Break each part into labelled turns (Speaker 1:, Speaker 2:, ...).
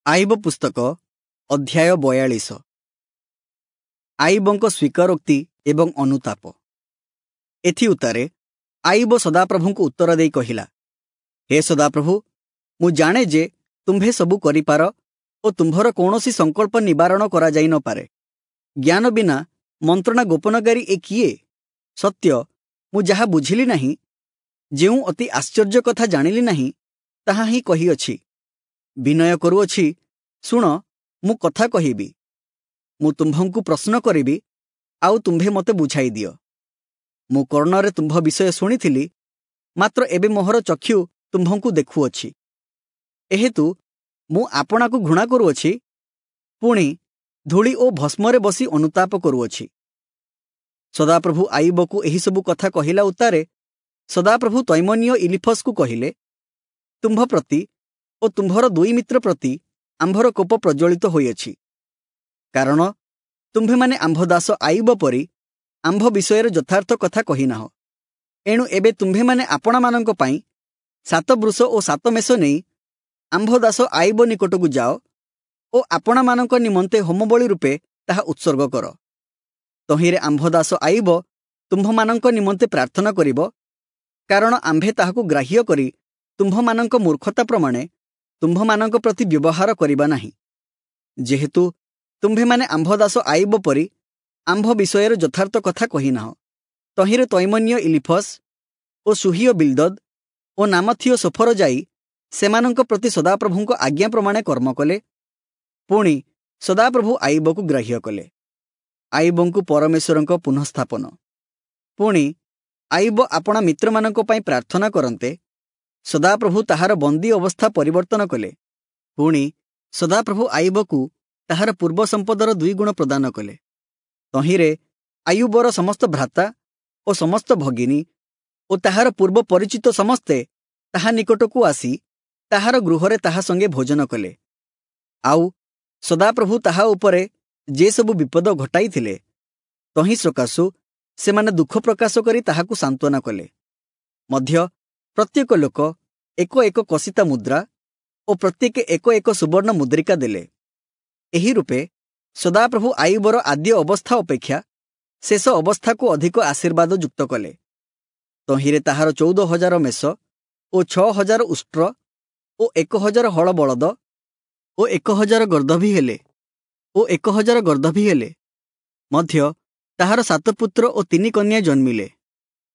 Speaker 1: ଆଇବ ପୁସ୍ତକ ଅଧ୍ୟାୟ 42। ଆଇବଙ୍କ ସ୍ୱୀକାରୋକ୍ତି ଏବଂ ଅନୁତାପ। ଏଥିଉତ୍ତାରେ ଆଇବ ସଦାପ୍ରଭୁଙ୍କୁ ଉତ୍ତର ଦେଇ କହିଲା, ହେ ସଦାପ୍ରଭୁ, ମୁଁ ଜାଣେ ଯେ ତୁମ୍ଭେ ସବୁ କରିପାର ଓ ତୁମ୍ଭର କୌଣସି ସଂକଳ୍ପ ନିବାରଣ କରାଯାଇ ନପାରେ। ଜ୍ଞାନ ବିନା ମନ୍ତ୍ରଣା ଗୋପନକାରୀ ଏ କିଏ? ସତ୍ୟ, ମୁଁ ଯାହା ବୁଝିଲି ନାହିଁ, ଯେଉଁ ଅତି ଆଶ୍ଚର୍ଯ୍ୟ କଥା ଜାଣିଲି ନାହିଁ, ତାହା ହିଁ କହିଅଛି। ବିନୟ କରୁଅଛି, ଶୁଣ, ମୁଁ କଥା କହିବି। ମୁଁ ତୁମ୍ଭଙ୍କୁ ପ୍ରଶ୍ନ କରିବି, ଆଉ ତୁମ୍ଭେ ମୋତେ ବୁଝାଇ ଦିଅ। ମୁଁ କର୍ଣ୍ଣରେ ତୁମ୍ଭ ବିଷୟ ଶୁଣିଥିଲି, ମାତ୍ର ଏବେ ମୋହର ଚକ୍ଷୁ ତୁମ୍ଭଙ୍କୁ ଦେଖୁଅଛି। ଏହେତୁ ମୁଁ ଆପଣାକୁ ଘୃଣା କରୁଅଛି, ପୁଣି ଧୂଳି ଓ ଭସ୍ମରେ ବସି ଅନୁତାପ କରୁଅଛି। ସଦାପ୍ରଭୁ ଆଇବକୁ ଏହିସବୁ କଥା କହିଲା ଉତ୍ତାରେ ସଦାପ୍ରଭୁ ତୈମନୀୟ ଇଲିଫସକୁ କହିଲେ, ତୁମ୍ଭ ପ୍ରତି ଓ ତୁମ୍ଭର ଦୁଇ ମିତ୍ର ପ୍ରତି ଆମ୍ଭର କୋପ ପ୍ରଜ୍ୱଳିତ ହୋଇଅଛି, କାରଣ ତୁମ୍ଭେମାନେ ଆମ୍ଭ ଦାସ ଆଇବ ପରି ଆମ୍ଭ ବିଷୟରେ ଯଥାର୍ଥ କଥା କହିନାହ। ଏଣୁ ଏବେ ତୁମ୍ଭେମାନେ ଆପଣାମାନଙ୍କ ପାଇଁ 7 ବୃଷ ଓ 7 ମେଷ ନେଇ ଆମ୍ଭ ଦାସ ଆଇବ ନିକଟକୁ ଯାଅ ଓ ଆପଣାମାନଙ୍କ ନିମନ୍ତେ ହୋମବଳି ରୂପେ ତାହା ଉତ୍ସର୍ଗ କର। ତହିଁରେ ଆମ୍ଭ ଦାସ ଆଇବ ତୁମ୍ଭମାନଙ୍କ ନିମନ୍ତେ ପ୍ରାର୍ଥନା କରିବ, କାରଣ ଆମ୍ଭେ ତାହାକୁ ଗ୍ରାହ୍ୟ କରି ତୁମ୍ଭମାନଙ୍କ ମୂର୍ଖତା ପ୍ରମାଣେ ତୁମ୍ଭମାନଙ୍କ ପ୍ରତି ବ୍ୟବହାର କରିବା ନାହିଁ। ଯେହେତୁ ତୁମ୍ଭେମାନେ ଆମ୍ଭ ଦାସ ଆଇବ ପରି ଆମ୍ଭ ବିଷୟରେ ଯଥାର୍ଥ କଥା କହିନାହ। ତହିଁରେ ତୈମନୀୟ ଇଲିଫସ୍ ଓ ସୁହୀୟ ବିଲ୍ଦଦ୍ ଓ ନାମଥୀୟ ସୋଫର ଯାଇ ସେମାନଙ୍କ ପ୍ରତି ସଦାପ୍ରଭୁଙ୍କ ଆଜ୍ଞା ପ୍ରମାଣେ କର୍ମ କଲେ। ପୁଣି ସଦାପ୍ରଭୁ ଆଇବକୁ ଗ୍ରାହ୍ୟ କଲେ। ଆଇବଙ୍କୁ ପରମେଶ୍ୱରଙ୍କ ପୁନଃସ୍ଥାପନ। ପୁଣି ଆଇବ ଆପଣା ମିତ୍ରମାନଙ୍କ ପାଇଁ ପ୍ରାର୍ଥନା କରନ୍ତେ ସଦାପ୍ରଭୁ ତାହାର ବନ୍ଦୀ ଅବସ୍ଥା ପରିବର୍ତ୍ତନ କଲେ। ପୁଣି ସଦାପ୍ରଭୁ ଆଇବକୁ ତାହାର ପୂର୍ବ ସମ୍ପଦର 2 ଗୁଣ ପ୍ରଦାନ କଲେ। ତହିଁରେ ଆୟୁବର ସମସ୍ତ ଭ୍ରାତା ଓ ସମସ୍ତ ଭଗିନୀ ଓ ତାହାର ପୂର୍ବ ପରିଚିତ ସମସ୍ତେ ତାହା ନିକଟକୁ ଆସି ତାହାର ଗୃହରେ ତାହା ସଙ୍ଗେ ଭୋଜନ କଲେ। ଆଉ ସଦାପ୍ରଭୁ ତାହା ଉପରେ ଯେସବୁ ବିପଦ ଘଟାଇଥିଲେ ତହିଁ ସକାଶୁ ସେମାନେ ଦୁଃଖ ପ୍ରକାଶ କରି ତାହାକୁ ସାନ୍ତ୍ୱନା କଲେ। ମଧ୍ୟ ପ୍ରତ୍ୟେକ ଲୋକ ଏକ ଏକ କସିତା ମୁଦ୍ରା ଓ ପ୍ରତ୍ୟେକ ଏକ ଏକ ସୁବର୍ଣ୍ଣ ମୁଦ୍ରିକା ଦେଲେ। ଏହି ରୂପେ ସଦାପ୍ରଭୁ ଆଇବର ଆଦ୍ୟ ଅବସ୍ଥା ଅପେକ୍ଷା ଶେଷ ଅବସ୍ଥାକୁ ଅଧିକ ଆଶୀର୍ବାଦ ଯୁକ୍ତ କଲେ। ତହିଁରେ ତାହାର 14,000 ମେଷ ଓ 6,000 ଉଷ୍ଟ୍ର ଓ 1,000 ହଳ ବଳଦ ଓ 1,000 ଗର୍ଦ୍ଦଭୀ ହେଲେ ଓ 1,000 ଗର୍ଦ୍ଦଭୀ ହେଲେ। ମଧ୍ୟ ତାହାର 7 ପୁତ୍ର ଓ 3 କନ୍ୟା ଜନ୍ମିଲେ।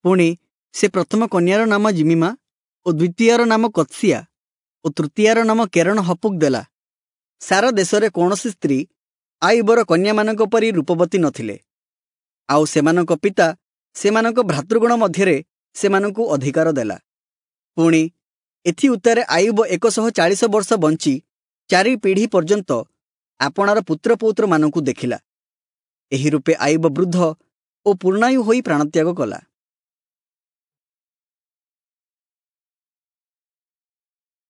Speaker 1: ପୁଣି ସେ ପ୍ରଥମ କନ୍ୟାର ନାମ ଜିମିମା ଓ ଦ୍ୱିତୀୟର ନାମ କତ୍ସିଆ ଓ ତୃତୀୟାର ନାମ କେରଣ ହପୁକ ଦେଲା। ସାରା ଦେଶରେ କୌଣସି ସ୍ତ୍ରୀ ଆଇବର କନ୍ୟାମାନଙ୍କ ପରି ରୂପବତୀ ନଥିଲେ, ଆଉ ସେମାନଙ୍କ ପିତା ସେମାନଙ୍କ ଭ୍ରାତୃଗଣ ମଧ୍ୟରେ ସେମାନଙ୍କୁ ଅଧିକାର ଦେଲା। ପୁଣି ଏଥିଉତ୍ତାରେ ଆଇବ 140 ବର୍ଷ ବଞ୍ଚି 4 ପିଢ଼ି ପର୍ଯ୍ୟନ୍ତ ଆପଣାର ପୁତ୍ରପୌତ୍ରମାନଙ୍କୁ ଦେଖିଲା। ଏହି ରୂପେ ଆଇବ ବୃଦ୍ଧ ଓ ପୂର୍ଣ୍ଣାୟୁ ହୋଇ ପ୍ରାଣତ୍ୟାଗ କଲା।